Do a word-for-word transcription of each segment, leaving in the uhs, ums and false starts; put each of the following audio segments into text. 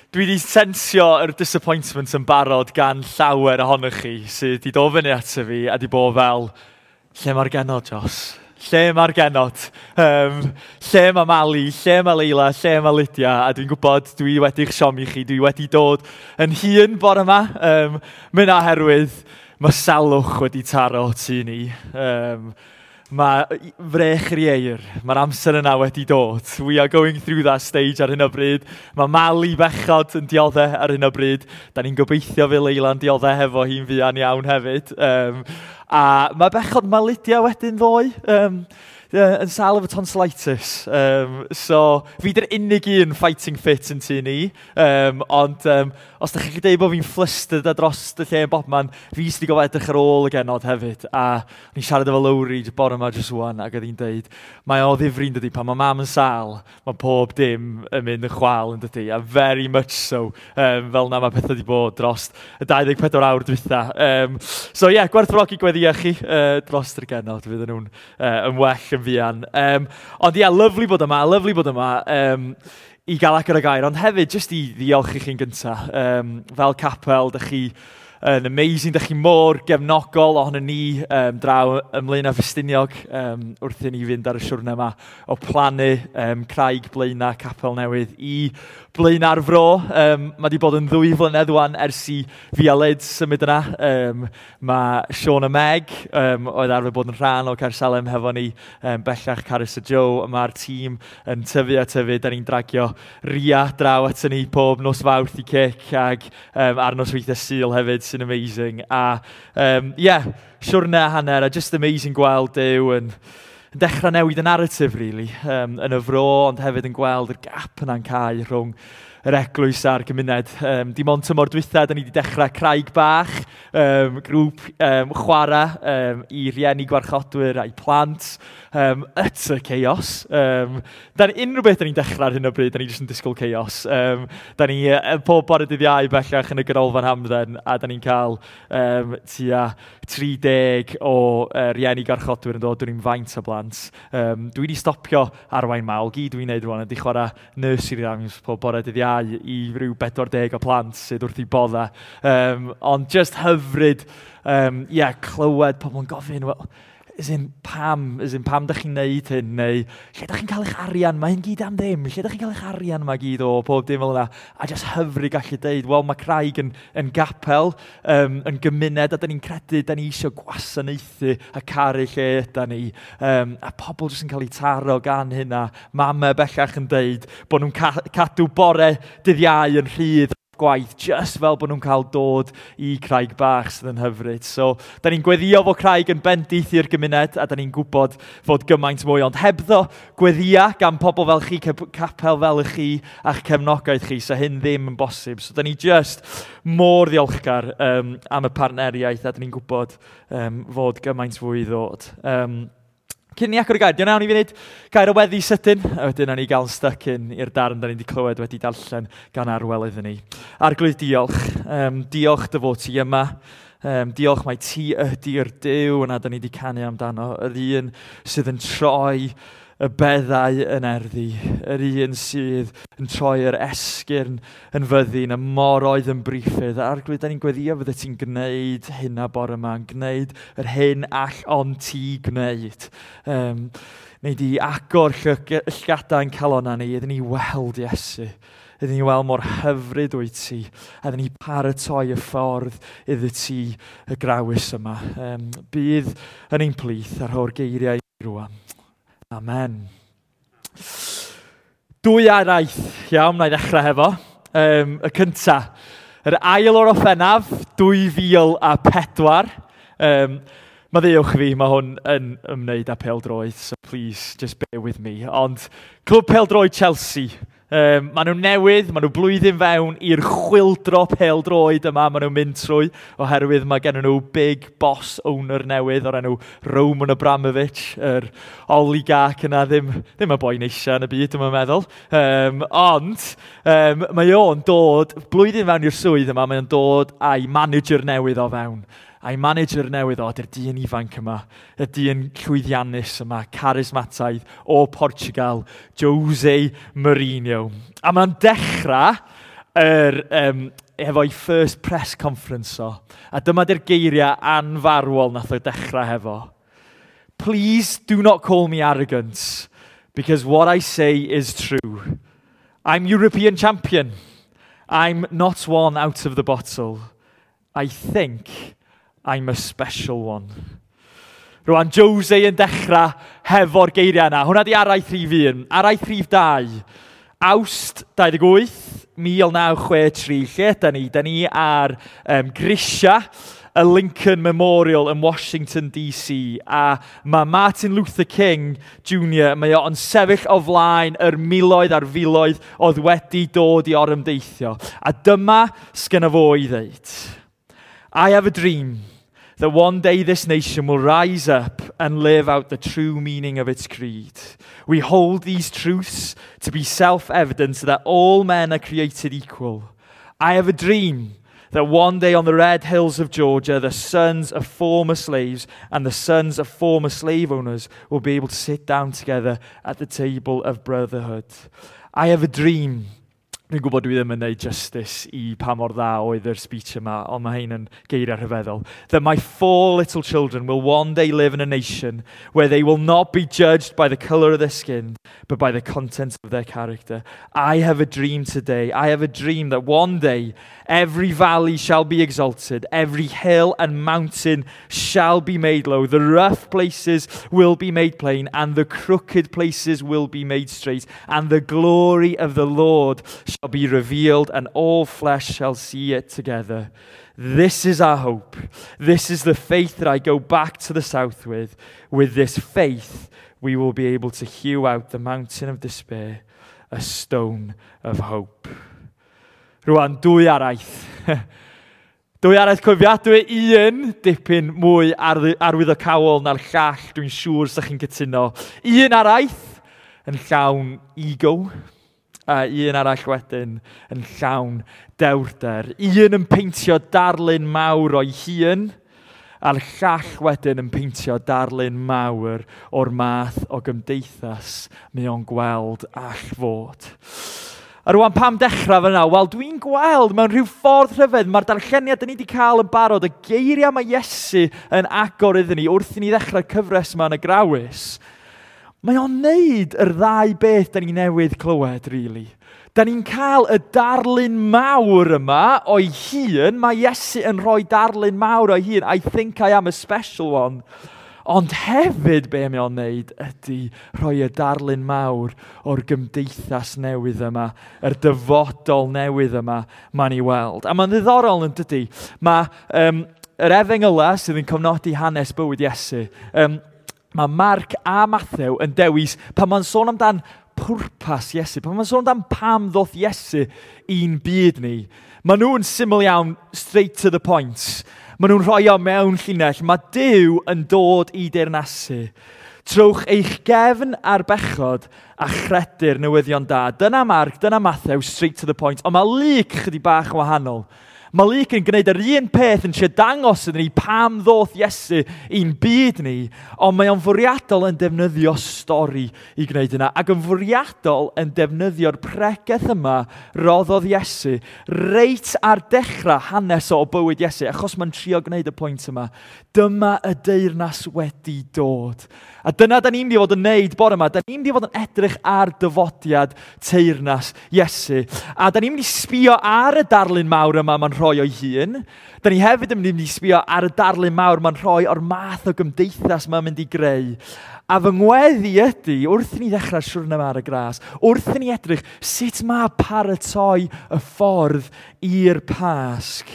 Dwi wedi sensio yr disappointment yn barod gan llawer ohonych chi sydd wedi dod fyny ato fi a wedi bod fel, lle mae'r genod, Jos? Lle mae'r genod? Um, lle mae Mali? Lle mae Leila? Lle mae Lydia? A dwi'n gwybod, dwi wedi'ch siomi chi, dwi wedi dod yn hun bore yma. Um, Mynd oherwydd mae salwch wedi taro tŷ ni. Um, Mae frech yr ieir, mae'r amser yna wedi dod. We are going through that stage ar hyn o bryd. Mae Mali bechod yn dioddau ar hyn o bryd. Da ni'n gobeithio fe Leila'n dioddau hefo hi'n fuan iawn hefyd. Um, a mae bechod, mae Lydia wedyn ddoe. Um, yn sâl efo tonsillitis. Um, so, fi dy'r unig un fighting fit yn tŷ ni. Um, ond um, os da chi'n dweud bod fi'n flustered a dros y lle yn bobman, fi sydd wedi gofio edrych ar ôl y genod hefyd. A ni'n siarad efo Lowry bore yma jyst wan, ac oedd hi'n deud, mae o ddifri'n dydy, pan mae mam yn sâl, mae pob dim yn mynd yn chwal yn dydy, a very much so, um, fel na mae pethau wedi bod dros y dau ddeg pedwar awr dwytha. Um, so ie, yeah, gwerthfawrogi gweddia chi uh, dros yr genod, fydden nhw'n uh, yn well yn fuan. Um, ond ie, yeah, lyfli bod yma, lyfli bod yma. Um, i gael agor y gair, ond hefyd jyst i ddiolch i chi'n gyntaf. Um, fel capel, dych chi yn amazing, dych chi mor gefnogol ohono ni um, draw ym Mlaenau Ffestiniog um, wrth i ni fynd ar y siwrne yma o plannu um, craig Blaenau capel newydd i Blaenau'r Fro. Um, mae wedi bod yn ddwy flynedd wan ers i fi a Lyd symud yna. Um, mae Sean a Meg um, oedd arfer bod yn rhan o Caersalem hefo ni, um, bellach Carys a Joe. Mae'r tîm yn tyfu a tyfu. Da ni'n dragio Ria draw at ni pob nos Fawrth i cic ag um, ar nosweithiau Sul hefyd, sy'n amazing. A um, yeah, siwrne a hanner, a just amazing gweld Duw yn, yn dechrau newid y narrative, really, um, yn y fro, ond hefyd yn gweld yr gap yna'n cau rhwng yr eglwys a'r gymuned. Um, dim ond tymor dwytha, da ni wedi dechrau Craig Bach, um, grŵp um, chwarae um, i rieni gwarchodwyr a'i plant. Um, utter chaos. Um, da ni, unrhyw beth da ni'n dechrau ar hyn o bryd, da ni jyst yn disgwyl chaos. Um, da ni uh, pob bore dydd Iau bellach yn y ganolfan hamdden, a da ni'n cael um, tua tri deg o uh, rieni gwarchodwyr yn dod, dwi'n faint o blant. Um, dwi wedi stopio arwain mawl, gyd dwi'n neud rwan ydy chwarae nursery rhymes pob bore dydd Iau i ryw bedwar deg o plant sydd wrth i bodda. Um, ond just hyfryd, um, yeah, clywed pobl yn gofyn, well, as in, pam, as in, pam da chi'n neud hyn, neu lle da chi'n cael eich arian, mae hyn gyd am ddim, lle da chi'n cael eich arian yma gyd o, pob dim fel yna. A just hyfryd gallu deud, wel, mae Craig yn, yn gapel, um, yn gymuned, a da ni'n credu, da ni eisiau gwasanaethu a caru lle yda ni. Um, a pobl jyst yn cael eu taro gan hynna. Mama bellach yn deud bod nhw'n ca cadw bore dydd Iau yn rhydd gwaith, just fel bod nhw'n cael dod i Craig Bach sydd yn hyfryd. So, da ni'n gweddio fod Craig yn bendith i'r gymuned, a da ni'n gwybod fod gymaint mwy, ond hebddo gweddia gan pobl fel chi, capel fel y chi, a'ch cefnogaeth chi, so hyn ddim yn bosib. So, da ni just mor ddiolchgar um, am y partneriaeth, a da ni'n gwybod um, fod gymaint fwy i ddod. Um, Cyn ni agor y gair, diolch nawn i funud gair o weddi sydyn, a wedyn nawn ni gael stuck in i'r darn da ni wedi clywed wedi darllen gan Arwel iddyn ni. Arglwydd, diolch. Um, diolch dy fod ti yma. Um, diolch mai ti ydy'r Duw yna da ni wedi canu amdano, yr un sydd yn troi y beddau yn erddi, yr un sydd yn troi yr esgyrn yn fyddin, y moroedd yn briffydd. Arglwydd, da ni'n gweddio fydde ti'n gwneud hynna bore yma, yn gwneud yr hyn all ond ti gwneud. Um, Neu di agor llgadau yn calonna ni, iddyn ni weld Iesu. Iddyn ni weld mor hyfryd wyt ti, a iddyn ni paratoi y ffordd iddi ti y grawys yma. Um, bydd yn ein plith ar rho'r geiriau rwan. Amen. Dwy araith, iawn, na i ddechrau hefo. Um, y cynta, yr ail o'r Orffennaf, dwy fil a pedwar. Um, Maddeuwch fi, mae hwn yn ymwneud â pêl-droed, so please, just bear with me. Ond Clwb Pêl-droed Chelsea, um, maen nhw newydd, maen nhw blwyddyn fewn i'r chwyldro pêl-droed yma maen nhw'n mynd trwy, oherwydd mae gen nhw big boss owner newydd o'r enw Roman Abramovich, yr oligarch yna, ddim, ddim y boi neisia yn y byd, dwi'n meddwl. Um, ond um, mae o'n dod, blwyddyn fewn i'r swydd yma, mae o'n dod â'i manager newydd o fewn. A'i manager newydd o, ydy'r dyn ifanc yma, y dyn llwyddiannus yma, charismataidd o Portugal, Jose Mourinho. A mae'n dechrau er, um, efo'i first press conference o. A dyma di'r geiriau anfarwol nath o dechrau hefo. "Please do not call me arrogant, because what I say is true. I'm European champion. I'm not one out of the bottle. I think I'm a special one." Rwan, Jose yn dechrau hefo'r geiriau yna. Hwna di araith rhif un. Araith rhif dau. Awst dau ddeg wyth, mil naw chwe tri. Lle yda ni? Da ni ar um, grisia y Lincoln Memorial yn Washington D C. A mae Martin Luther King Junior, mae o'n sefyll o flaen yr miloedd a'r filoedd oedd wedi dod i orymdeithio. A dyma sgynna fo i ddeud. "I have a dream that one day this nation will rise up and live out the true meaning of its creed. We hold these truths to be self evident that all men are created equal. I have a dream that one day on the red hills of Georgia, the sons of former slaves and the sons of former slave owners will be able to sit down together at the table of brotherhood. I have a dream." Dwi'n gwybod dwi ddim yn gwneud justice i pa mor dda oedd yr speech yma, ond mae hyn yn geiriau rhyfeddol. "That my four little children will one day live in a nation where they will not be judged by the colour of their skin, but by the content of their character. I have a dream today. I have a dream that one day every valley shall be exalted, every hill and mountain shall be made low, the rough places will be made plain, and the crooked places will be made straight, and the glory of the Lord shall be revealed, and all flesh shall see it together. This is our hope. This is the faith that I go back to the south with. With this faith, we will be able to hew out the mountain of despair, a stone of hope." Rwan, dwy araith. Dwy araith cofiadwy, un dipyn mwy arwyddocaol na'r llall, dwi'n siŵr sa'ch chi'n cytuno. Un araith yn llawn ego, a un arall wedyn yn llawn dewrder. Un yn peintio darlun mawr o'i hun, a'r llall wedyn yn peintio darlun mawr o'r math o gymdeithas mae o'n gweld all fod. A rwan, pam dechrau fyna? Wel, dwi'n gweld mewn rhyw ffordd rhyfedd, mae'r darlleniad ni wedi cael yn barod, y geiriau mae Iesu yn agor iddyn ni wrth i ni ddechrau'r cyfres yma yn y Grawys, mae o'n neud yr ddau beth da ni newydd clywed, really. Da ni'n cael y darlun mawr yma o'i hun. Mae Iesu yn rhoi darlun mawr o'i hun. "I think I am a special one." Ond hefyd be mae o'n neud ydy rhoi y darlun mawr o'r gymdeithas newydd yma, yr dyfodol newydd yma mae'n ei weld. A mae'n ddiddorol yn dydy. Mae um, yr efengyla sydd yn cofnodi hanes bywyd Iesu, um, mae Mark a Matthew yn dewis pan mae'n sôn amdan pwrpas Iesu, pan mae'n sôn amdan pam ddoth Iesu i'n byd ni, maen nhw'n syml iawn, straight to the point. Maen nhw'n rhoi o mewn llinell. Mae Duw yn dod i deyrnasu. Trowch eich gefn ar bechod a chredu'r newyddion da. Dyna Mark, dyna Matthew, straight to the point. Ond mae Luke chydig bach yn wahanol. Mae Luke yn gwneud yr un peth yn trio dangos iddyn ni pam ddoth Iesu i'n byd ni, ond mae o'n fwriadol yn defnyddio stori i gwneud yna, ac yn fwriadol yn defnyddio'r pregeth yma roddodd Iesu reit ar dechrau hanes o bywyd Iesu, achos mae'n trio gwneud y pwynt yma. Dyma y deyrnas wedi dod. A dyna da ni'n mynd i fod yn neud bore yma. Da ni'n mynd i fod yn edrych ar dyfodiad teyrnas Iesu. A da ni'n mynd i sbio ar y darlun mawr yma mae'n rhoi o'i hun. Da ni hefyd yn mynd i sbio ar y darlun mawr mae'n rhoi o'r math o gymdeithas mae'n mynd i greu. A fy ngweddi ydy, wrth i ni ddechrau siwrna yma ar y gras, wrth i ni edrych sut mae paratoi y ffordd i'r Pasg,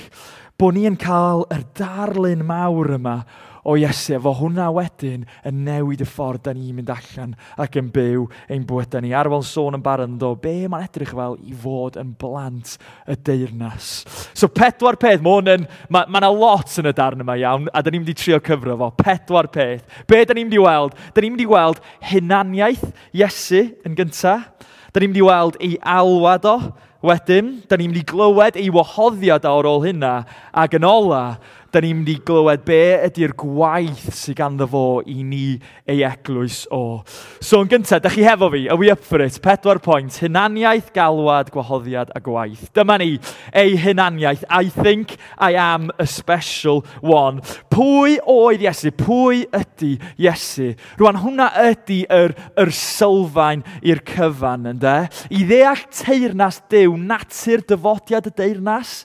bod ni yn cael yr darlun mawr yma o Iesu, efo hwnna wedyn yn newid y ffordd da ni'n mynd allan ac yn byw ein bywydau ni. Arwel sôn yn barod yn do, be mae'n edrych fel i fod yn blant y deyrnas. So pedwar peth, mae hwn yn, mae, ma 'na lot yn y darn yma iawn, a da ni'n mynd i trio cyfro fo. Pedwar peth. Be da ni'n mynd i weld? Da ni'n mynd i weld hunaniaeth Iesu yn gyntaf. Da ni'n mynd i weld ei alwad o Wedyn, da ni'n mynd i glywed ei wahoddiad ar ôl hynna, ac yn ola, da ni'n mynd i glywed be ydy'r gwaith sydd ganddo fo i ni ei eglwys o. So yn gyntaf, da chi hefo fi, are we up for it? Pedwar pwynt, hunaniaeth, galwad, gwahoddiad a gwaith. Dyma ni, ei hunaniaeth. I think I am a special one. Pwy oedd Iesu? Pwy ydy Iesu? Rwan, hwnna ydy yr, yr sylfaen i'r cyfan, ynde? I ddeall teyrnas Duw, natur dyfodiad y deyrnas,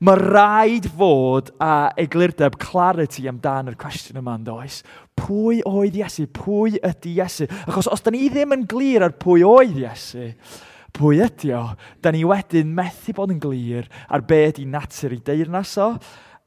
mae rhaid fod a eglurdeb, clarity amdan yr cwestiwn yma, yn does? Pwy oedd Iesu? Pwy ydy Iesu? Achos os da ni ddim yn glir ar pwy oedd Iesu, pwy ydy o, da ni wedyn methu bod yn glir ar be ydy natur ei deyrnas o,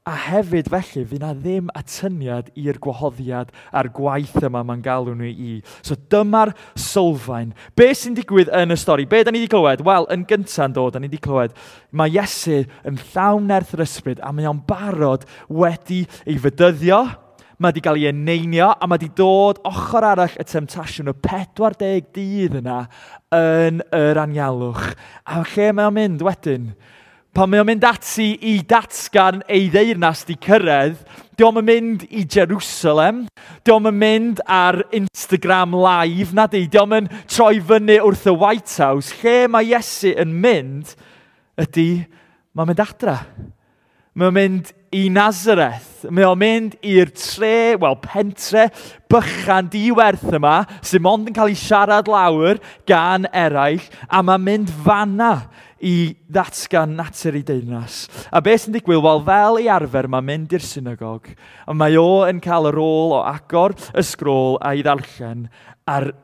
a hefyd felly, fydd na ddim atyniad i'r gwahoddiad a'r gwaith yma mae'n galw nhw i. So dyma'r sylfaen. Be sy'n digwydd yn y stori? Be da ni wedi clywed? Wel, yn gyntaf yn dod, da ni wedi clywed, mae Iesu yn llawn nerth yr ysbryd a mae o'n barod wedi ei fedyddio, mae wedi cael ei eneinio a mae wedi dod ochr arall y temtasiwn y pedwar deg dydd yna yn yr anialwch. A lle mae o'n mynd wedyn? Pan mae o'n mynd ati i datgan ei ddeyrnas di cyrraedd, dio'm yn mynd i Jerusalem, dio'm yn mynd ar Instagram Live, na di, dio'm yn troi fyny wrth y White House. Lle mae Iesu yn mynd ydy, mae'n mynd adra. Mae'n mynd i Nazareth. Mae o'n mynd i'r tre, wel, pentre bychan diwerth yma, sy'n mond yn cael ei siarad lawr gan eraill, a mae'n mynd fanna i ddatgan natur ei deyrnas. A beth sy'n digwydd? Wel, fel ei arfer, mae'n mynd i'r synagog, a mae o yn cael y rôl o agor y sgrôl a'i ddarllen, a'r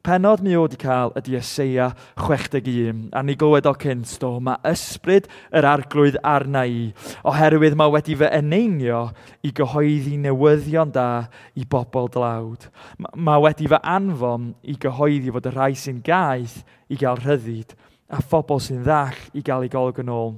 pennod mi o wedi cael ydy Eseia chwech deg un. A ni glywed o cynt, do, mae ysbryd yr arglwydd arna i, oherwydd mae wedi fy eneinio i gyhoeddi newyddion da i bobl dlawd. Mae wedi fy anfon i gyhoeddi fod y rhai sy'n gaeth i gael rhyddid, a phobl sy'n ddall i gael eu golwg yn ôl,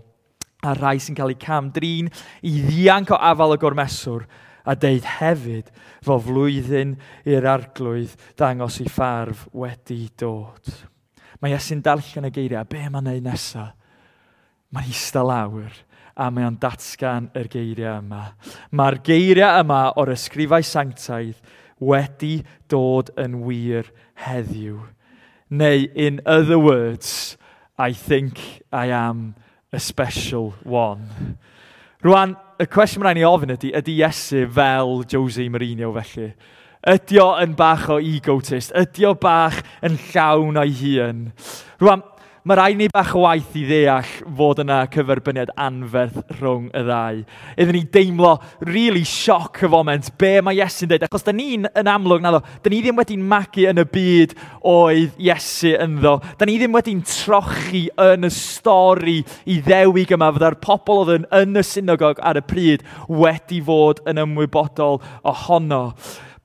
a rhai sy'n cael eu cam-drin i ddianc o afal y gormeswr, a deud hefyd fo flwyddyn i'r arglwydd dangos ei ffarf wedi dod. Mae Iesu'n darllen y geiriau, a be mae'n neud nesaf? Mae'n eistedd lawr a mae o'n datgan yr geiriau yma. Mae'r geiriau yma o'r ysgrifau sanctaidd wedi dod yn wir heddiw. Neu, in other words, I think I am a special one. Rwan, y cwestiwn mae'n rhaid ni ofyn ydy, ydy Iesu fel Jose Mourinho felly? Ydy o yn bach o egotist? Ydy o bach yn llawn o'i hun? Rwan, mae rhaid ni bach o waith i ddeall fod yna cyferbyniad anferth rhwng y ddau. Iddyn ni deimlo really sioc y foment be mae Iesu'n dweud. Achos da ni'n yn amlwg, naddo, da ni ddim wedi'n magu yn y byd oedd Iesu ynddo. Da ni ddim wedi'n trochi yn y stori i ddewig yma fydda'r pobl oedd yn, yn y synagog ar y pryd wedi fod yn ymwybodol ohono.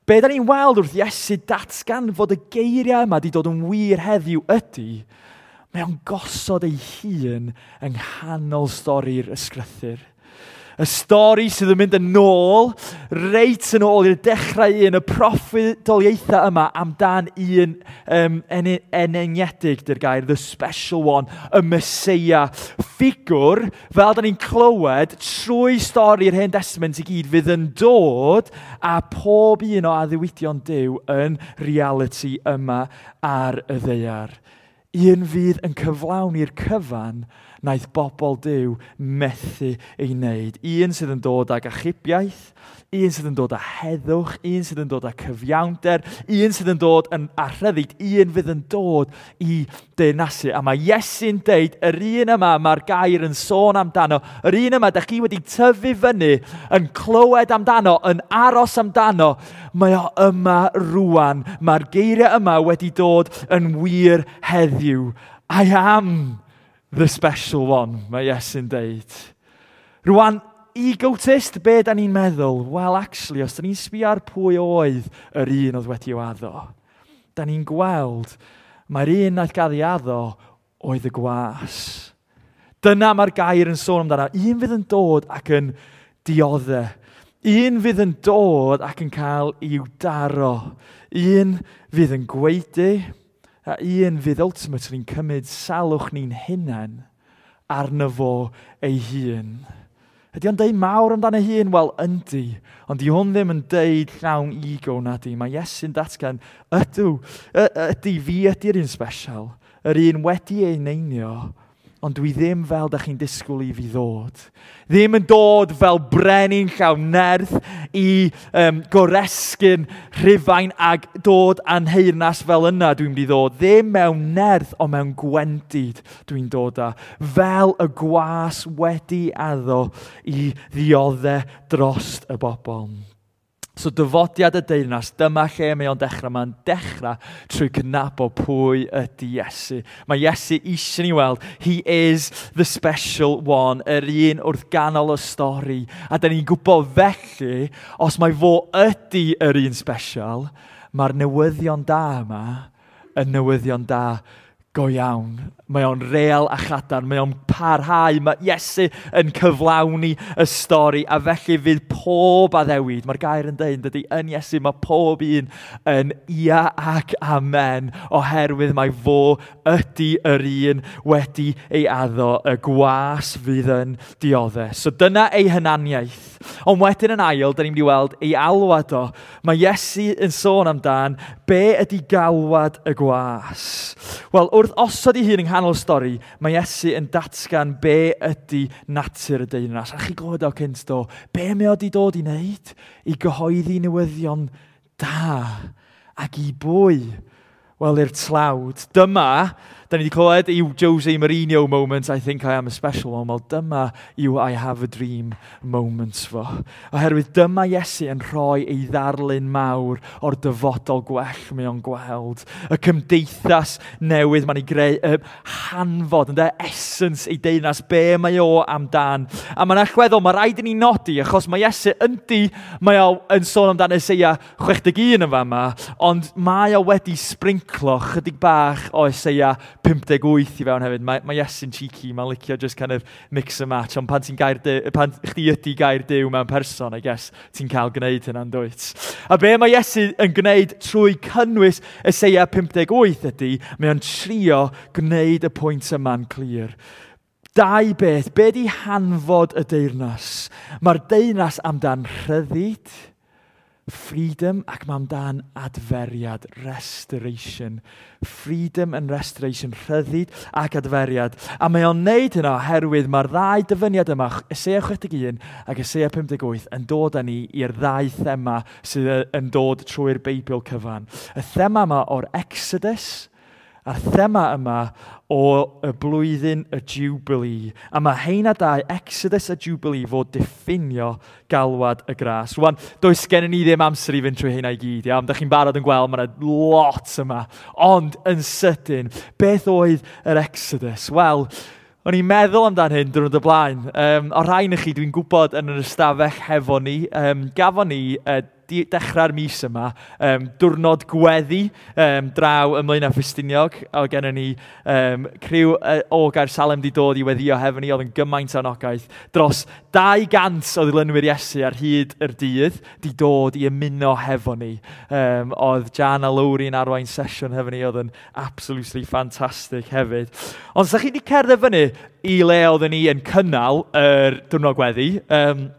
Be da ni'n weld wrth Iesu datgan fod y geiriau yma wedi dod yn wir heddiw ydy, mae o'n gosod ei hun yng nghanol stori'r ysgrythur. Y stori sydd yn mynd yn ôl, reit yn ôl i'r dechrau un, y proffwydoliaethau yma amdan un um, eneinedig, dy'r gair, the special one, y Meseia. Ffigwr, fel da ni'n clywed, trwy stori'r Hen Testament i gyd, fydd yn dod a pob un o addewidion Duw yn reality yma ar y ddaear. Un fydd yn cyflawni'r cyfan naeth bobl Duw methu ei wneud. Un sydd yn dod ag achubiaeth, un sydd yn dod â heddwch, un sydd yn dod â cyfiawnder, un sydd yn dod yn â rhyddid, un fydd yn dod i deyrnasu. A mae Iesu'n deud, yr un yma mae'r gair yn sôn amdano, yr un yma da chi wedi tyfu fyny, yn clywed amdano, yn aros amdano, mae o yma rwan. Mae'r geiriau yma wedi dod yn wir heddiw. I am the special one, mae Iesu'n deud. Rwan, egotist, be da ni'n meddwl? Wel, actually, os da ni'n sbio ar pwy oedd yr un oedd wedi i'w addo, da ni'n gweld mae'r un naeth gael ei addo oedd y gwas. Dyna mae'r gair yn sôn amdano. Un fydd yn dod ac yn dioddef. Un fydd yn dod ac yn cael i'w daro. Un fydd yn gwaedu. A un fydd ultimately yn cymryd salwch ni'n hunain arno fo ei hun. Ydy o'n deud mawr amdano ei hun? Wel, yndi. Ond di hwn ddim yn deud llawn ego na di. Mae Iesu'n datgan, ydw, ydy, fi ydy'r un special. Yr un wedi ei eneinio, ond dwi ddim fel da chi'n disgwyl i fi ddod. Ddim yn dod fel brenin llawn nerth i um, goresgyn Rhufain ag dod â'n nheyrnas fel yna dwi'n mynd i ddod. Ddim mewn nerth, ond mewn gwendid dwi'n dod â. Fel y gwas wedi addo i ddioddau dros y bobl. So dyfodiad y deyrnas, dyma lle mae o'n dechrau. Mae'n dechrau trwy cydnabod pwy ydy Iesu. Mae Iesu eisiau ni weld, he is the special one, yr un wrth ganol y stori. A da ni'n gwybod felly, os mae fo ydy yr un special, mae'r newyddion da yma yn newyddion da go iawn. Mae o'n real a chadarn, mae o'n parhau, mae Iesu yn cyflawni y stori, a felly fydd pob addewid, mae'r gair yn dweud, dydy, yn Iesu, mae pob un yn ia ac amen, oherwydd mae fo ydy yr un wedi ei addo, y gwas fydd yn dioddef. So dyna ei hunaniaeth. Ond wedyn yn ail, da ni'n mynd i weld ei alwad o. Mae Iesu yn sôn amdan be ydy galwad y gwas. Wel, wrth osod ei hun yng nghanol stori, mae Iesu yn datgan be ydy natur y deyrnas. A chi glywed o cynt do, be mae o wedi dod i wneud? I gyhoeddi newyddion da. Ac i bwy? Wel, i'r tlawd. Dyma, da ni wedi clywed yw Jose Mourinho moment, I think I am a special one. Wel, dyma yw I have a dream moment fo. Oherwydd dyma Iesu yn rhoi ei ddarlun mawr o'r dyfodol gwell mae o'n gweld. Y cymdeithas newydd mae'n ei greu, y hanfod, ynde, essence ei deyrnas, be mae o amdan. A mae'n allweddol, mae rhaid i ni nodi, achos mae Iesu yndi, mae o yn sôn amdan Eseia chwech deg un yn fama, ond mae o wedi sprinklo chydig bach o Eseia pump deg wyth i fewn hefyd. Mae, mae Iesu'n cheeky, mae'n licio just kind of mix and match, ond pan ti'n gair Duw, pan chdi ydy gair Duw mewn person, I guess, ti'n cael gwneud hynna'n dwyt. A be mae Iesu yn gwneud trwy cynnwys Eseia pump deg wyth ydy, mae o'n trio gwneud y pwynt yma'n clir. Dau beth, be di hanfod y deyrnas? Mae'r deyrnas amdan rhyddid, freedom, ac mae amdan adferiad, restoration. Freedom and restoration, rhyddid ac adferiad. A mae o'n neud hynna oherwydd mae'r ddau dyfyniad yma, Eseia chwech deg un ac Eseia pump deg wyth, yn dod â ni i'r ddau thema sydd yn dod trwy'r Beibl cyfan. Y thema yma o'r Exodus, a'r thema yma o y blwyddyn y Jubilee. A mae heina dau, Exodus a Jubilee, fod diffinio galwad y gras. Rwan, does gennym ni ddim amser i fynd trwy heina i gyd, iawn? Dach chi'n barod yn gweld, mae yna lot yma. Ond yn sydyn, beth oedd yr Exodus? Wel, o'n i'n meddwl amdan hyn diwrnod y blaen. Um, o rhain i chi, dwi'n gwybod yn yr ystafell hefo ni, um, gafon ni uh, dechrau'r mis yma, um, diwrnod gweddi um, draw ym Mlaenau Ffestiniog. Oedd gennym ni um, criw uh, o Gaersalem di dod i weddio hefo ni, oedd yn gymaint o anogaeth. Dros dau gant o ddilynwyr Iesu ar hyd yr dydd di dod i ymuno hefo ni. Um, oedd Jan a Lowry yn arwain sesiwn hefo ni, oedd yn absolutely fantastic hefyd. Ond sa chi di cerdded fyny i le oedden ni yn cynnal yr diwrnod gweddi, um,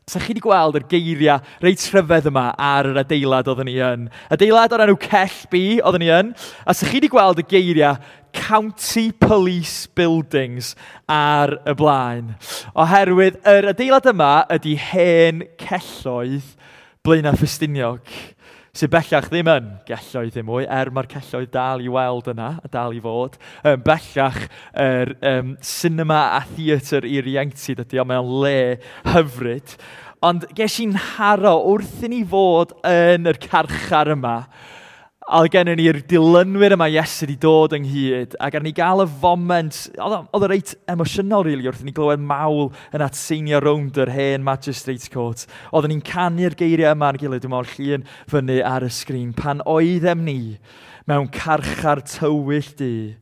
sa chi wedi gweld yr geiriau reit rhyfedd yma ar yr adeilad oedden ni yn. Adeilad o'r enw Cell B oedden ni yn. A sa chi wedi gweld y geiriau County Police Buildings ar y blaen. Oherwydd yr adeilad yma ydy hen celloedd Blaenau Ffestiniog, sydd bellach ddim yn gelloedd ddim mwy, er mae'r celloedd dal i weld yna, a dal i fod. Um, bellach, yr um, cinema a theatr i'r ieuenctid ydy, ond mae o'n le hyfryd. Ond ges i'n haro wrth i ni fod yn yr carchar yma, a oedd gennym ni'r dilynwyr yma Iesu wedi dod ynghyd, ac ar ni gael y foment, oedd o, oedd o reit emosiynol, really, wrth i ni glywed mawl yn atseinio rownd yr hen Magistrates Court. Oedden ni'n canu'r geiriau yma ar gilydd, dwi'n meddwl llun fyny ar y sgrin, pan oeddem ni mewn carchar tywyll du,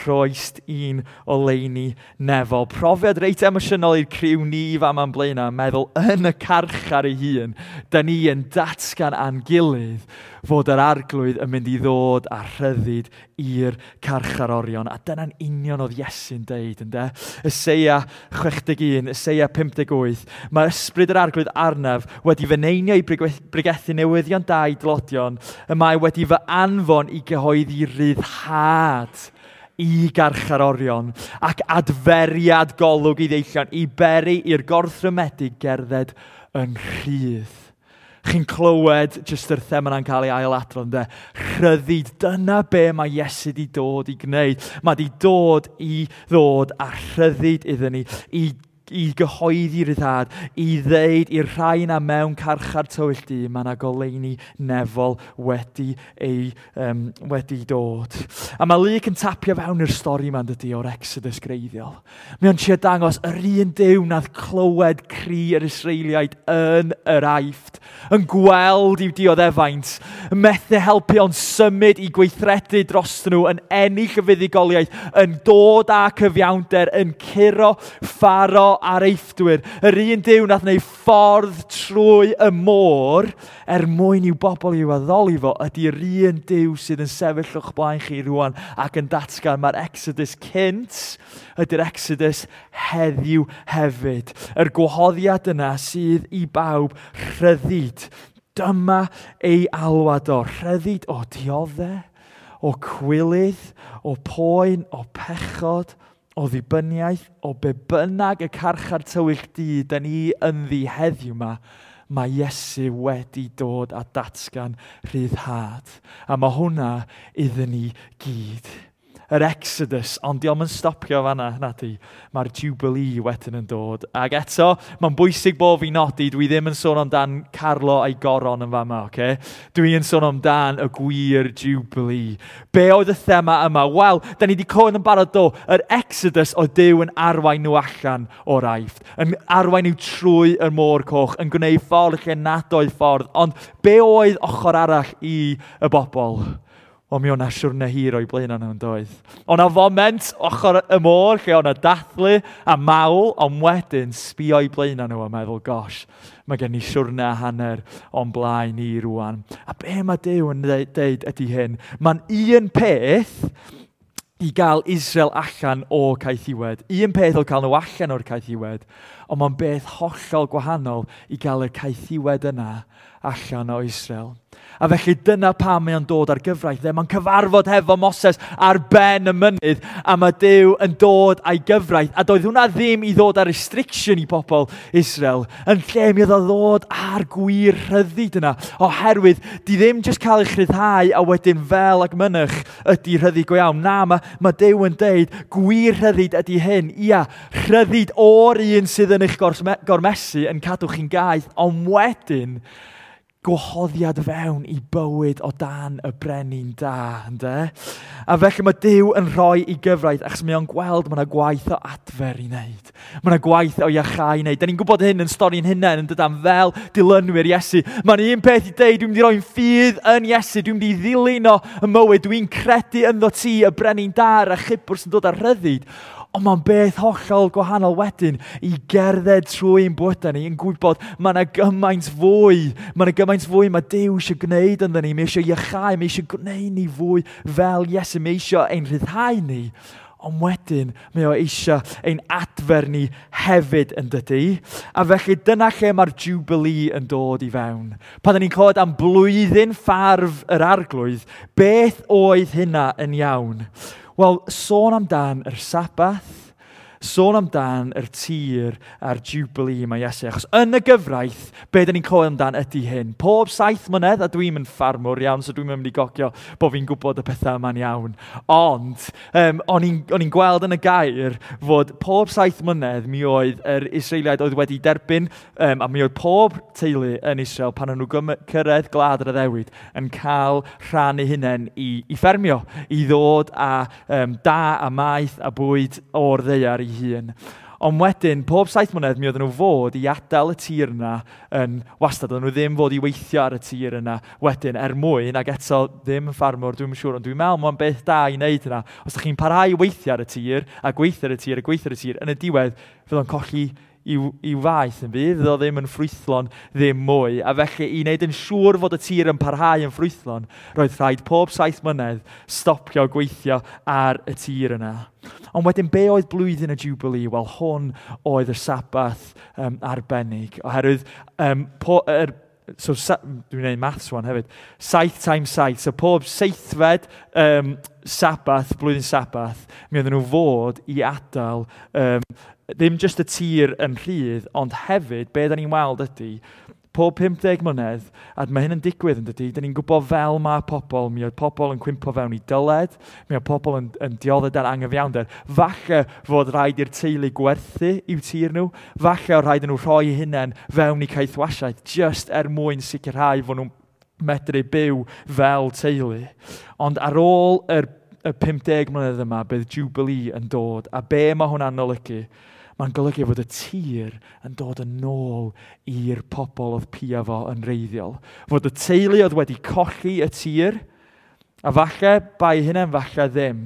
rhoist un oleuni nefol. Profiad reit emosiynol i'r criw ni fama'n Blaenau, meddwl yn y carchar ei hun, da ni yn datgan a'n gilydd fod yr arglwydd yn mynd i ddod â rhyddid i'r carcharorion. A dyna'n union oedd Iesu'n deud, ynde? Eseia chwech deg un, Eseia pump deg wyth. Mae ysbryd yr arglwydd arnaf wedi fy neinio i bregethu newyddion da i dlodion, y mae wedi fy anfon i gyhoeddi ryddhad i garcharorion ac adferiad golwg i ddeillion, i beri i'r gorthrymedig gerdded yn rhydd. Chi'n clywed jyst yr thema yna'n cael ei ailadrodd, ynde? Rhyddid, dyna be mae Iesu di dod i gwneud. Mae di dod i ddod â rhyddid iddyn ni, i, i gyhoeddi ryddhad, i ddeud i'r rhai yna mewn carchar tywyll du, mae yna goleuni nefol wedi, ei, um, wedi dod. A mae Luc yn tapio fewn i'r stori yma, dydy, o'r Exodus greiddiol. Mae o'n trio dangos yr un Duw nath clywed cri yr Israeliaid yn yr Aifft, yn gweld i'w dioddefaint, yn methu helpu ond symud i gweithredu dros nhw, yn ennill y fuddugoliaeth, yn dod â cyfiawnder, yn curo Pharo a'r Eifftwyr. Yr un Duw nath wneud ffordd trwy y môr er mwyn i'w bobl i'w addoli fo, ydy'r un Duw sydd yn sefyll o'ch blaen chi rwan ac yn datgan mae'r Exodus cynt ydy'r Exodus heddiw hefyd. Yr gwahoddiad yna sydd i bawb, rhyddid. Dyma ei alwad o, rhyddid o dioddef, o cwilydd, o poen, o pechod, o ddibyniaeth, o be bynnag y carchar tywyll du da ni ynddi heddiw yma, mae Iesu wedi dod a datgan rhyddhad. A mae hwnna iddyn ni gyd. Yr Exodus, ond diolch yn stopio fanna, na di. Mae'r Jubilee wedyn yn dod. Ac eto, mae'n bwysig bod fi nodi, dwi ddim yn sôn amdan Carlo a'i goron yn fama, oce? Dwi yn sôn amdan y gwir Jubilee. Be oedd y thema yma? Wel, da ni wedi clywed yn barod do, yr Exodus oedd Duw yn arwain nhw allan o'r Aifft, yn arwain nhw trwy y môr coch, yn gwneud ffordd lle nad oedd ffordd. Ond be oedd ochr arall i y bobl? Wel, mi o'na siwrne hir o'i blaen nhw'n doedd. O'na foment ochr y môr lle o'na dathlu a mawl, ond wedyn sbio o'i blaen nhw a meddwl, gosh, mae gen i siwrne a hanner o'n blaen i rwan. A be mae Duw yn deud ydy hyn? Mae'n un peth i gael Israel allan o caethiwed. Un peth o cael nhw allan o'r caethiwed, ond mae'n beth hollol gwahanol i gael y caethiwed yna allan o Israel. A felly dyna pam mae o'n dod ar gyfraith. Mae'n cyfarfod hefo Moses ar ben y mynydd, a mae Duw yn dod â'i gyfraith. A doedd hwnna ddim i ddod â restriction i bobl Israel. Yn lle mi oedd o ddod â'r gwir rhyddid yna. Oherwydd, di ddim jyst cael eich rhyddhau a wedyn fel ag mynych ydy rhyddid go iawn. Na, mae, mae Duw yn deud gwir rhyddid ydy hyn. Ia, rhyddid o'r un sydd yn eich gormesu yn cadw chi'n gaeth, ond wedyn gwahoddiad fewn i bywyd o dan y brenin da, ynde? A felly mae Duw yn rhoi i gyfraith, achos mae o'n gweld mae yna gwaith o adfer i wneud. Mae yna gwaith o iachau i wneud. Da ni'n gwybod hyn yn stori'n hunain yn dydan, fel dilynwyr Iesu. Mae'n un peth i deud, dwi'n mynd i roi'n ffydd yn Iesu, dwi'n mynd i ddilyn o y mywyd, dwi'n credu ynddo ti, y brenin da, a'r achubwr sy'n dod â rhyddid. Ond mae'n beth hollol gwahanol wedyn i gerdded trwy ein bywydau ni yn gwybod mae yna gymaint fwy, mae yna gymaint fwy mae Duw eisiau gwneud ynddo ni, mae eisiau iachau, mae eisiau gwneud ni fwy fel Iesu, mae eisiau ein rhyddhau ni. Ond wedyn, mae o eisiau ein adfer ni hefyd yn dydy. A felly dyna lle mae'r Jubilee yn dod i fewn. Pan ni'n clywed am blwyddyn ffarf yr arglwydd, beth oedd hynna yn iawn? Wel, sôn amdan yr Sabath, sôn amdan yr tir a'r Jubilee mae Iesu. Achos yn y gyfraith, be dyn ni'n clywed amdan ydy hyn. Pob saith mlynedd, a dwi'n yn ffarmwr iawn, so dwi'n mynd i gogio bod fi'n gwybod y pethau yma'n iawn. Ond, um, o'n i'n gweld yn y gair fod pob saith mlynedd mi oedd yr Israeliaid oedd wedi derbyn, um, a mi oedd pob teulu yn Israel pan o'n nhw cyrraedd gwlad yr addewid yn cael rhan eu hunain i, i ffermio, i ddod â um, da a maeth a bwyd o'r ddaear i hun. Ond wedyn, pob saith mlynedd, mi oedden nhw fod i adael y tir yna yn wastad. Oedden nhw ddim fod i weithio ar y tir yna wedyn er mwyn, ac eto ddim yn ffarmwr, dwi'n siŵr, ond dwi'n meddwl mae'n beth da i wneud yna. Os ydych chi'n parhau i weithio ar y tir, a gweithio ar y tir, a gweithio ar y tir, yn y diwedd, fydd o'n colli i'w, i'w faeth yn bydd, fydd o ddim yn ffrwythlon ddim mwy. A felly i wneud yn siŵr fod y tir yn parhau yn ffrwythlon, roedd rhaid pob saith mlynedd stopio gweithio ar y tir yna. Ond wedyn, be oedd blwyddyn y Jubilee? Wel, hwn oedd y Sabath um, arbennig, oherwydd um, po, er, so sa, dwi'n gwneud maths rwan hefyd, saith times saith, so pob seithfed um, Sabath, blwyddyn Sabath, mi oedden nhw fod i adael um, ddim just y tir yn rhydd, ond hefyd, be da ni'n weld ydy, pob pum deg mlynedd, a mae hyn yn digwydd yn dydy, da ni'n gwybod fel mae pobl, mi oedd pobl yn cwympo fewn i dyled, mi oedd pobl yn, yn dioddef dan angyfiawnder. Falle fod rhaid i'r teulu gwerthu i'w tir nhw, falle oedd rhaid nhw rhoi eu hunain fewn i caethwasiaeth, just er mwyn sicrhau fod nhw'n medru byw fel teulu. Ond ar ôl yr, y pum deg mlynedd yma, bydd Jubilee yn dod, a be mae hwnna'n olygu? Mae'n golygu fod y tir yn dod yn ôl i'r pobl oedd pia fo yn wreiddiol. Fod y teulu oedd wedi colli y tir, a falle bai hynny, falle ddim,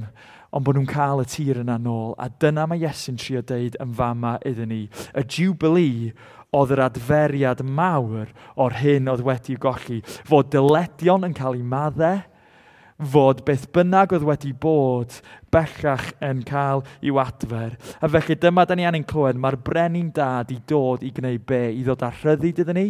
ond bod nhw'n cael y tir yna nôl. A dyna mae Iesu'n trio deud yn fama iddyn ni. Y Jubilee oedd yr adferiad mawr o'r hyn oedd wedi golli. Fod dyledion yn cael eu maddau, fod beth bynnag oedd wedi bod bellach yn cael i'w adfer. A felly dyma da ni angen clywed, mae'r brenin da di dod i gwneud be? I ddod â rhyddid iddyn ni,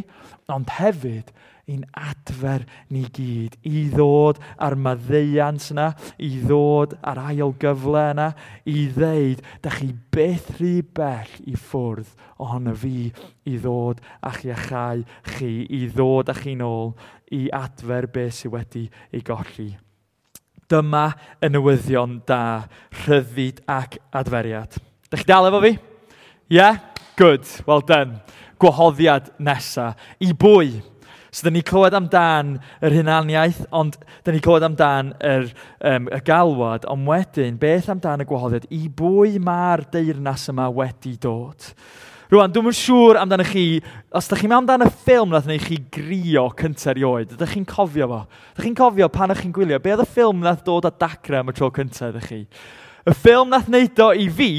ond hefyd i'n adfer ni gyd, i ddod â'r maddeuant yna, i ddod â'r ail gyfle yna, i ddeud, da chi byth rhy bell i ffwrdd ohono fi i ddod a'ch iachau chi, i ddod â chi nôl, i adfer beth sydd wedi ei golli. Dyma y newyddion da, rhyddid ac adferiad. Da chi dal efo fi? Yeah? Good. Well done. Gwahoddiad nesa. I bwy? So, dyn ni clywed amdan yr hunaniaeth, ond dyn ni clywed amdan yr, um, y galwad, ond wedyn, beth amdan y gwahoddiad? I bwy mae'r deyrnas yma wedi dod? Rwan, dwi'm yn siŵr amdano chi, os ydych chi'n meddwl amdan y ffilm nath wneud chi grio cyntaf erioed, ydych chi'n cofio fo? Ydych chi'n cofio pan ydych chi'n gwylio? Be oedd y ffilm nath dod â dacre am y tro cyntaf ydych chi? Y ffilm nath wneud o i fi,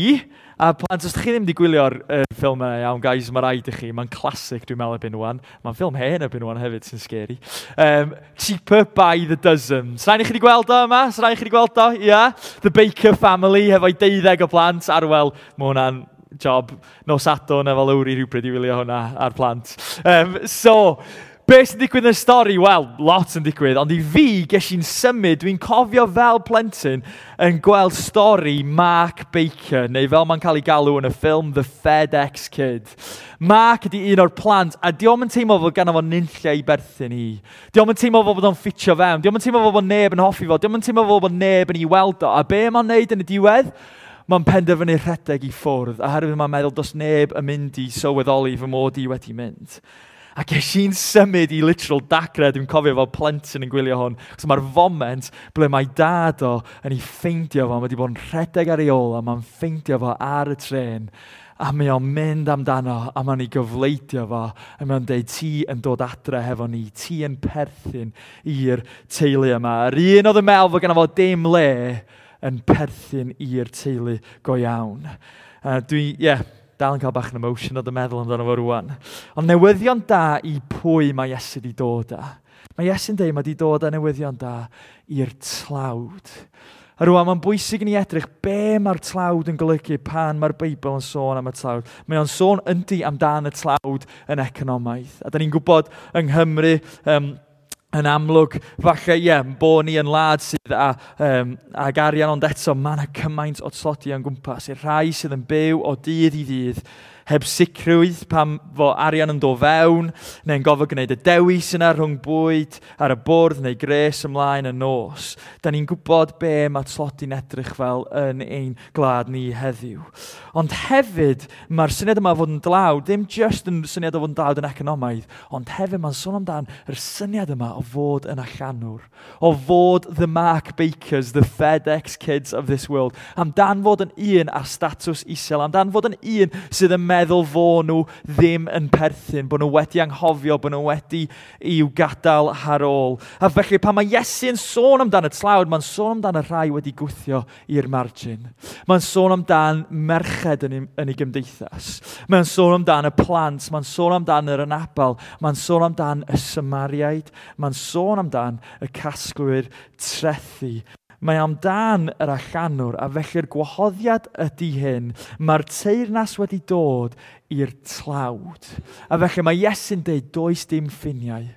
a plant, os ydych chi ddim wedi gwylio'r uh, ffilm yna, iawn, guys, mae rhaid i chi. Mae'n classic, dwi'n meddwl, erbyn wan. Mae'n ffilm hen erbyn wan hefyd, sy'n scary. Um, Cheaper by the Dozen. Srain i chi wedi gweld o yma? Srain i chi wedi gweld o? Yeah? The Baker Family, hefo'i deuddeg o blant. Arwel, mae hwnna'n job nos Sadwrn efo Lowri rhywbryd i wylio hwnna ar plant. Um, so, beth sy'n digwydd yn y stori? Wel, lot yn digwydd, ond i fi, ges i'n symud, dwi'n cofio fel plentyn yn gweld stori Mark Baker, neu fel mae'n cael ei galw yn y ffilm The FedEx Kid. Mark ydy un o'r plant, a dio'm yn teimlo fod ganddo fo nunlle i berthyn i. Dio'm yn teimlo fod o'n ffitio fewn, dio'm yn teimlo fod neb yn hoffi fo, dio'm yn teimlo fod neb yn ei weld o. A be mae'n neud yn y diwedd? Mae'n penderfynu rhedeg i ffwrdd, oherwydd mae'n meddwl does neb yn mynd i sylweddoli fy mod i wedi mynd. A ges i'n symud i literal dagre, dwi'n cofio fel plentyn yn gwylio hwn. So mae'r foment ble mae dad o yn ei ffeindio fo, mae wedi bod yn rhedeg ar ei ôl, a mae'n ffeindio fo ar y tren. A mae o'n mynd amdano, a mae'n ei gofleidio fo, a mae'n deud, "Ti yn dod adre hefo ni, ti yn perthyn i'r teulu yma." Yr un oedd yn meddwl fod gynno fo dim le, yn perthyn i'r teulu go iawn. Uh, dwi, ie, yeah, dal yn cael bach yn emotional yn meddwl amdano fo rwan. Ond newyddion da i pwy mae Iesu wedi dod â? Mae Iesu'n dweud mae wedi dod â newyddion da i'r tlawd. A rwan, mae'n bwysig i ni edrych be mae'r tlawd yn golygu pan mae'r Beibl yn sôn am y tlawd. Mae o'n sôn yndi amdan y tlawd yn economaidd. A da ni'n gwybod yng Nghymru, um, yn amlwg, falle, ie, yeah, bod ni yn wlad sydd â, um, ag arian, ond eto mae yna cymaint o tlodi o'n gwmpas. I'r rhai sydd yn byw o dydd i ddydd, heb sicrwydd pam fo arian yn dod fewn, neu'n gofod gwneud y dewis yna rhwng bwyd ar y bwrdd neu gres ymlaen y nos. Da ni'n gwybod be mae tlodi'n edrych fel yn ein gwlad ni heddiw. Ond hefyd, mae'r syniad yma o fod yn dlawd, ddim just yn syniad o fod yn dlawd yn economaidd, ond hefyd mae'n sôn amdan yr syniad yma o fod yn allanwr, o fod the Mark Bakers, the FedEx Kids of this world, amdan fod yn un ar statws isel, amdan fod yn un sydd yn meddwl meddwl fo nhw ddim yn perthyn, bod nhw wedi anghofio, bod nhw wedi i'w gadael ar ôl. A felly pan mae Iesu yn sôn amdan y tlawd, mae'n sôn amdan y rhai wedi gwthio i'r margin. Mae'n sôn amdan merched yn ei, yn ei gymdeithas. Mae'n sôn amdan y plant, mae'n sôn amdan yr anabal, mae'n sôn amdan y Samariaid, mae'n sôn amdan y casglwyr trethi. Mae amdan yr allanwr, a felly'r gwahoddiad ydy hyn. Mae'r teyrnas wedi dod i'r tlawd. A felly mae Iesu'n deud, does dim ffiniau.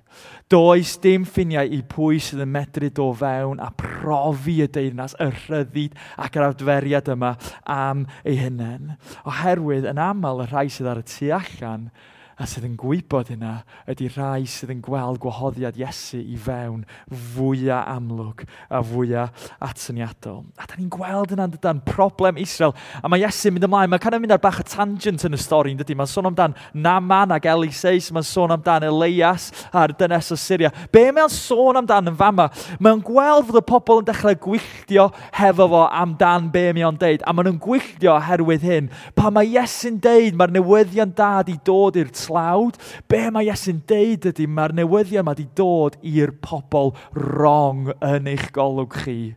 Does dim ffiniau i pwy sydd yn medru do fewn a profi y deyrnas, y rhyddid ac yr adferiad yma am ei hunain. Oherwydd yn aml y rhai sydd ar y tu allan a sydd yn gwybod hynna ydy rhai sydd yn gweld gwahoddiad Iesu i fewn fwyaf amlwg a fwyaf atyniadol. A da ni'n gweld hynna'n dydan, problem Israel. A mae Iesu'n mynd ymlaen, mae'n kind of mynd ar bach o tangent yn y stori, yn dydy? Mae'n sôn amdan Naaman ac Eliseus, mae'n sôn amdan Elias a'r dynes o Syria. Be mae'n sôn amdan yn fama? Mae'n gweld fod y pobl yn dechrau gwylltio hefo fo amdan be mae o'n deud. A maen nhw'n gwylltio oherwydd hyn. Pan mae Iesu'n deud, mae'r newyddion da di dod i'r tlawd, be mae Iesu'n deud ydy, mae'r newyddion yma di dod i'r pobl wrong yn eich golwg chi.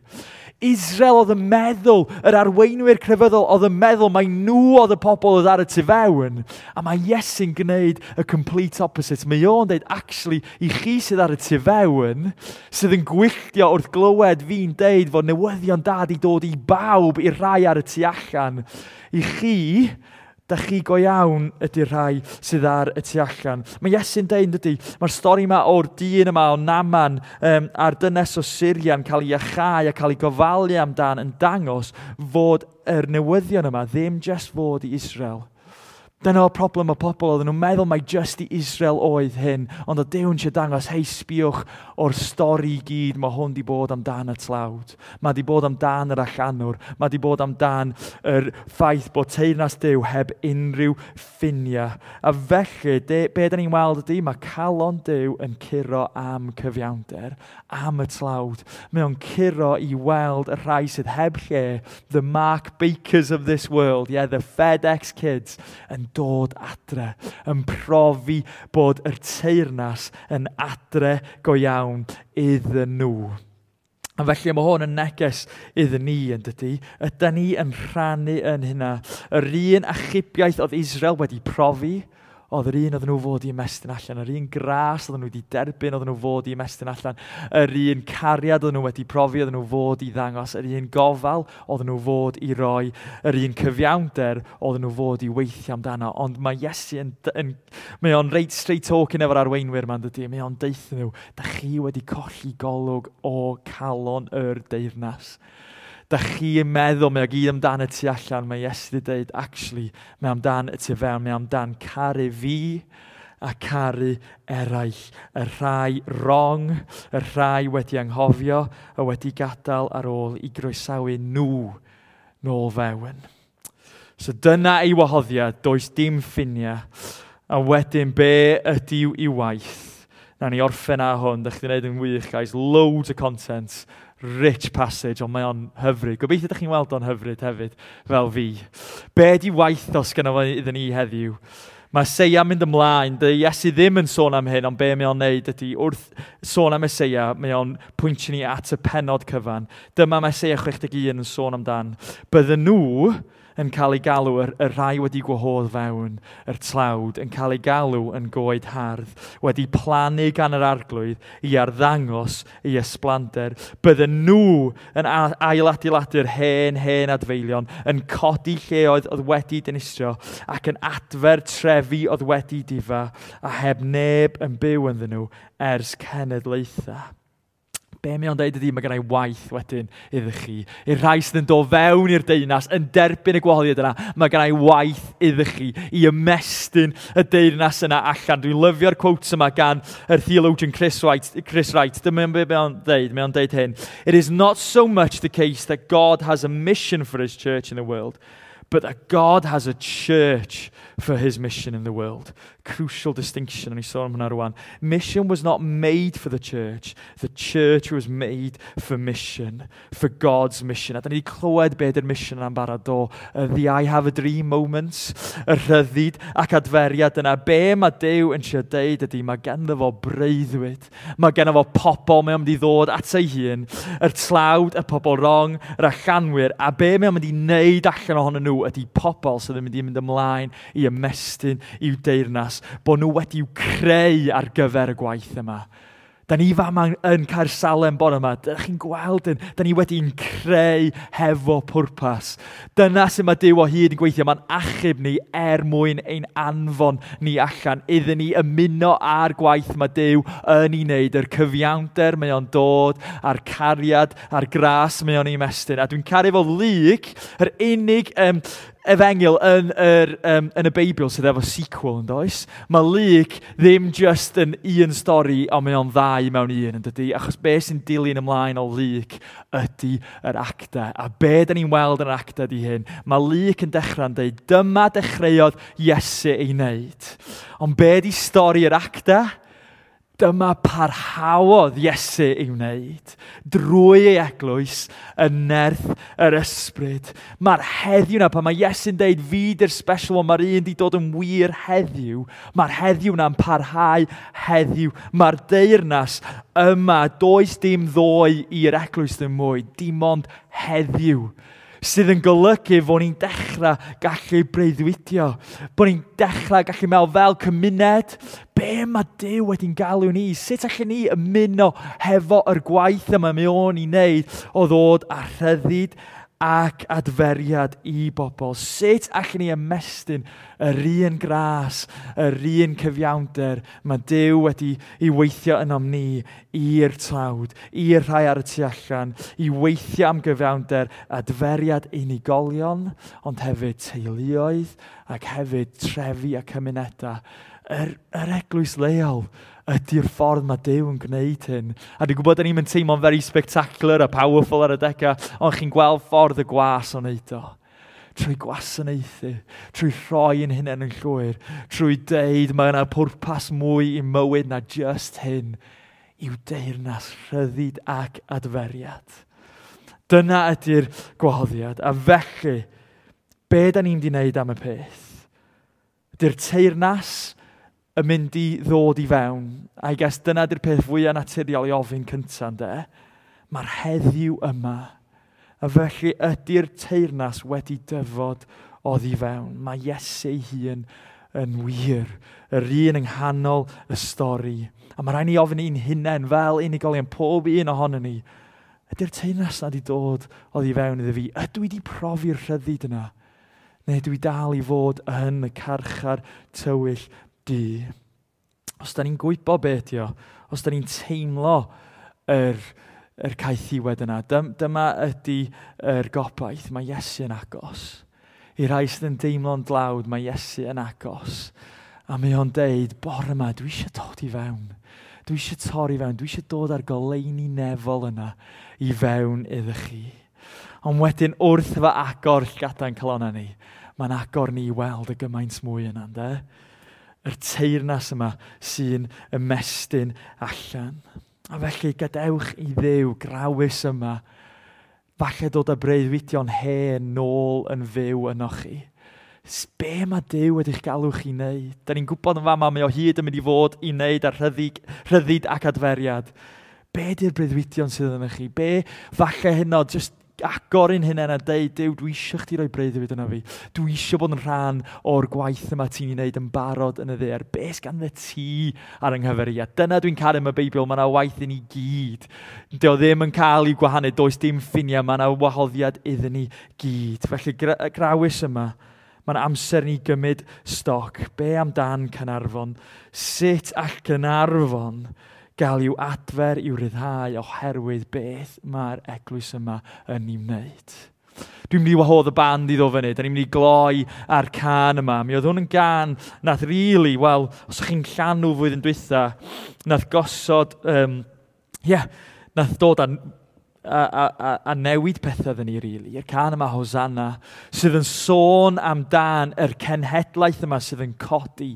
Israel oedd yn meddwl, yr arweinwyr crefyddol oedd yn meddwl mai nhw oedd y pobl oedd ar y tu fewn. A mae Iesu'n gwneud y complete opposite. Mae o'n deud, actually, i chi sydd ar y tu fewn, sydd yn gwylltio wrth glywed fi'n deud fod newyddion da di dod i bawb, i'r rhai ar y tu allan. I chi, da chi go iawn ydy'r rhai sydd ar y tu allan. Mae Iesu'n deud, dydy, mae'r stori yma o'r dyn yma o Naaman um, a'r dynes o Syria'n cael ei iachau a cael ei gofalu amdan yn dangos fod yr newyddion yma ddim just fod i Israel. Dyna o'r problem o pobl, oedden nhw'n meddwl mai just i Israel oedd hyn, ond o Duw'n eisiau dangos, hei, sbiwch o'r stori i gyd, mae hwn di bod amdan y tlawd. Mae di bod amdan yr allanwr, mae di bod amdan yr ffaith bod teyrnas Duw heb unrhyw ffiniau. A felly, de, be da ni'n weld ydy, mae calon Duw yn curo am cyfiawnder, am y tlawd. Mae o'n curo i weld y rhai sydd heb lle, the Mark Bakers of this world, yeah, the FedEx kids, yn dod adre, yn profi bod yr teyrnas yn adre go iawn iddyn nhw. A felly mae hwn yn neges iddyn ni, yn dydy. Ydy ni yn rhannu yn hynna. Yr un achubiaeth oedd Israel wedi profi, oedd yr un oedden nhw fod i ymestyn allan, yr un gras oedden nhw wedi derbyn oedden nhw fod i ymestyn allan, yr un cariad oedden nhw wedi profi oedden nhw fod i ddangos, yr un gofal oedden nhw fod i roi, yr un cyfiawnder oedden nhw fod i weithio amdano. Ond mae Iesu yn, yn, mae o'n reit straight talking efo'r arweinwyr ma'n dydy, mae o'n deutha nhw, da chi wedi colli golwg o calon yr deyrnas. Da chi yn meddwl, mae o gyd amdan y tu allan, mae Iesu wedi dweud, actually, mae amdan y tu fewn, mae amdan caru fi a caru eraill. Y rhai wrong, y rhai wedi anghofio, a wedi gadael ar ôl i groesawu nhw nôl fewn. So dyna ei wahoddiad, does dim ffiniau. A wedyn, be ydyw i waith? Nawn ni orffen ar hwn, da chi wedi gwneud yn wych, guys. Loads o content, rich passage, ond mae o'n hyfryd. Gobeithio ydych chi'n weld o'n hyfryd hefyd, fel fi. Be di waith os gyda fo iddyn ni heddiw? Mae Eseia mynd ymlaen, dy Iesu ddim yn sôn am hyn, ond be mae o'n neud ydy, wrth sôn am Eseia, mae o'n pwyntio ni at y penod cyfan. Dyma mae Eseia chwech deg un yn sôn amdan. Bydden nhw yn cael ei galw, y, y rhai wedi gwahodd fewn, yr tlawd, yn cael ei galw yn goed hardd, wedi plannu gan yr arglwydd i arddangos ei ysblander. Bydden nhw yn ailadeiladu'r hen, hen adfeilion, yn codi lleoedd oedd wedi dinistrio ac yn adfer trefi oedd wedi difa, a heb neb yn byw ynddyn nhw ers cenedlaethau. Be mae o'n deud ydy, mae gennau waith wedyn iddo chi. I'r rhai sydd yn dod fewn i'r deyrnas, yn derbyn y gwahoddiad yna, mae gennau waith iddo chi i ymestyn y deyrnas yna allan. Dwi'n lyfio'r quotes yma gan yr theologian Chris Wright. Chris Wright. Dyma be mae o'n deud. Mae o'n deud hyn. It is not so much the case that God has a mission for his church in the world, but that God has a church for his mission in the world. Crucial distinction, and i sôn am hwnna rwan. Mission was not made for the church. The church was made for mission, for God's mission. A da ni wedi clywed be ydy'r mission yna'n barod do. The I have a dream moments, y rhyddid ac adferiad yna. Be mae Duw yn trio deud ydy, mae ganddo fo breuddwyd. Mae ganddo fo pobl mae o'n mynd i ddod at ei hun, yr tlawd, y pobl wrong, yr allanwyr, a be mae o'n mynd i wneud allan ohonyn nhw ydy pobl sydd yn mynd i mynd ymlaen i ymestyn i'w deyrnas, bod nhw wedi'w creu ar gyfer y gwaith yma. Da ni fama yn Caersalem bore yma, da chi'n gweld yn, da ni wedi'n creu hefo pwrpas. Dyna sy'n mae Duw o hyd yn gweithio, mae'n achub ni er mwyn ein anfon ni allan, iddyn ni ymuno â'r gwaith mae Duw yn ei wneud, yr cyfiawnder mae o'n dod, a'r cariad, a'r gras mae o'n ei ymestyn. A dwi'n caru fo Luc, yr unig um, efengyl yn, yr, um, yn y Beibl sydd efo sequel yn does. Mae Luc ddim just yn un stori, ond mae o'n ddau mewn un, yn dydy? Achos be sy'n dilyn ymlaen o Luc ydy yr actau. A be da ni'n weld yn yr actau di hyn? Mae Luc yn dechrau'n dweud, dyma dechreuodd Iesu ei wneud. Ond be di stori yr actau? Dyma parhaodd Iesu ei wneud drwy ei eglwys yn nerth yr ysbryd. Mae'r heddiw na, pan mae Iesu'n deud fi di'r special one, mae'r un di dod yn wir heddiw, mae'r heddiw na'n parhau heddiw. Mae'r deyrnas yma, does dim ddoe i'r eglwys ddim mwy, dim ond heddiw. Sydd yn golygu fod ni'n dechrau gallu breuddwydio, bod ni'n dechrau gallu meddwl fel cymuned, be mae Duw wedi'n galw ni? Sut allwn ni ymuno hefo yr gwaith yma mae o'n ei wneud o ddod â rhyddid ac adferiad i bobl? Sut allwn ni ymestyn yr un gras, yr un cyfiawnder mae Duw wedi i weithio ynom ni i'r tlawd, i'r rhai ar y tu allan, i weithio am gyfiawnder, adferiad unigolion, ond hefyd teuluoedd ac hefyd trefi a cymunedau. Yr, yr eglwys leol ydy'r ffordd mae Duw yn gwneud hyn. A dwi'n gwybod da ni'n mynd teimlo'n very spectacular a powerful ar y degau, ond chi'n gweld ffordd y gwas o'n neud o. Trwy gwasanaethu, trwy rhoi yn hunain yn llwyr, trwy deud mae yna pwrpas mwy i mywyd na just hyn, i'w deyrnas rhyddid ac adferiad. Dyna ydy'r gwahoddiad. A felly, be da ni'n di wneud am y peth? Ydy'r teyrnas yn mynd i ddod i fewn. A I guess dyna ydy'r peth fwyaf naturiol i ofyn cyntaf, ynde? Mae'r heddiw yma. A felly ydy'r teyrnas wedi dyfod oddi fewn. Mae Iesu ei hun yn wir, yr un yng nghanol y stori. A mae rhaid ni ofyn i'n hunain fel unigolion, pob un ohonon ni, ydy'r teyrnas na wedi dod oddi fewn iddo fi? Ydw i wedi profi'r rhyddid yna? Neu dwi dal i fod yn y carchar tywyll du? Os da ni'n gwybod beth ydi o, os da ni'n teimlo yr, yr caethiwed yna, dyma ydy yr gobaith, mae Iesu yn agos. I rai sydd yn deimlo'n dlawd, mae Iesu yn agos. A mae o'n deud, bore yma, dwi eisiau dod i fewn. Dwi eisiau torri fewn, dwi eisiau dod â'r goleuni nefol yna i fewn iddo chi. Ond wedyn wrth fy agor llgada'n calonnau ni, mae'n agor ni i weld y gymaint mwy yna, ynde? Yr teyrnas yma sy'n ymestyn allan. A felly gadewch i Dduw grawys yma, falle dod â breuddwydion hen nôl yn fyw ynoch chi. Be mae Duw wedi'ch galw chi wneud? Da ni'n gwybod yn fama, mae o hyd yn mynd i fod i wneud ar rhyddid, rhyddid ac adferiad. Be ydy'r breuddwydion sydd ynoch chi? Be falle hynod, just agor un hunain a deud, Duw, dwi eisiau chdi roi breuddwyd yna fi. Dwi eisiau bod yn rhan o'r gwaith yma ti'n ei wneud yn barod yn y ddaear. Be sganddo ti ar yng nghyfer i? A dyna dwi'n caru am y Beibl, mae yna waith i ni gyd. Dio ddim yn cael ei gwahanu, does dim ffiniau, mae yna wahoddiad iddyn ni gyd. Felly grawys yma, mae'n amser ni gymryd stoc. Be amdan Caernarfon? Sut all Caernarfon gael i'w adfer, i'w ryddhau oherwydd beth mae'r eglwys yma yn ei wneud? Dwi'n mynd i wahodd y band i ddod fyny. Da ni'n mynd i gloi ar can yma. Mi oedd hwn yn gan nath really, wel, os ydych chi'n llanw flwyddyn dwytha, nath gosod, um, yeah, nath dod â a, a, a newid pethau ddyn ni, really. Yr can yma, Hosanna, sydd yn sôn amdan yr cenhedlaeth yma sydd yn codi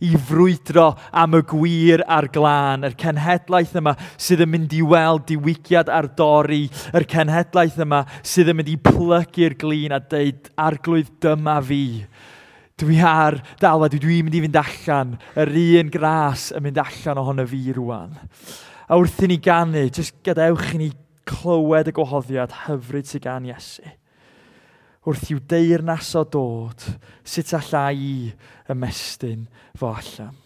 i frwydro am y gwir a'r glân. Yr cenhedlaeth yma sydd yn mynd i weld diwygiad ar dorri. Yr cenhedlaeth yma sydd yn mynd i plygu'r glin a deud, "Arglwydd, dyma fi. Dwi ar dalfa, dwi dwi'n mynd i fynd allan, yr un gras yn mynd allan ohono fi rwan." A wrth i ni ganu, jyst gadewch i ni clywed y gwahoddiad hyfryd sydd gan Iesu. Wrth i'w deyrnas o dod, sut alla i ymestyn fo allan?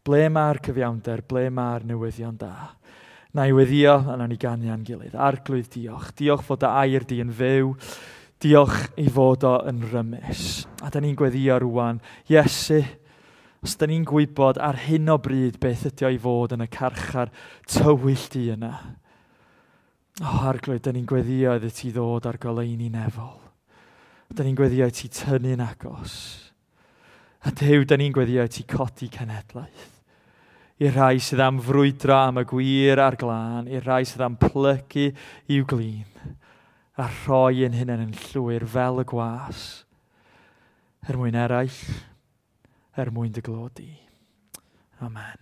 Ble mae'r cyfiawnder? Ble mae'r newyddion da? Na i weddio, a nawn ni ganu â'n gilydd. Arglwydd, diolch. Diolch fod dy air di yn fyw. Diolch i fod o yn rymus. A da ni'n gweddio rwan, Iesu, os da ni'n gwybod ar hyn o bryd beth ydy o i fod yn y carchar tywyll di yna, o, Arglwydd, da ni'n gweddio iddi ti ddod ar goleuni nefol. Da ni'n gweddio i ti tynnu'n agos. A Duw, da ni'n gweddio i ti codi cenhedlaeth. I'r rhai sydd am frwydro am y gwir a'r glân, i'r rhai sydd am plygu i'w glin, a rhoi ein hunain yn llwyr fel y gwas, er mwyn eraill, er mwyn dy glod di. Amen.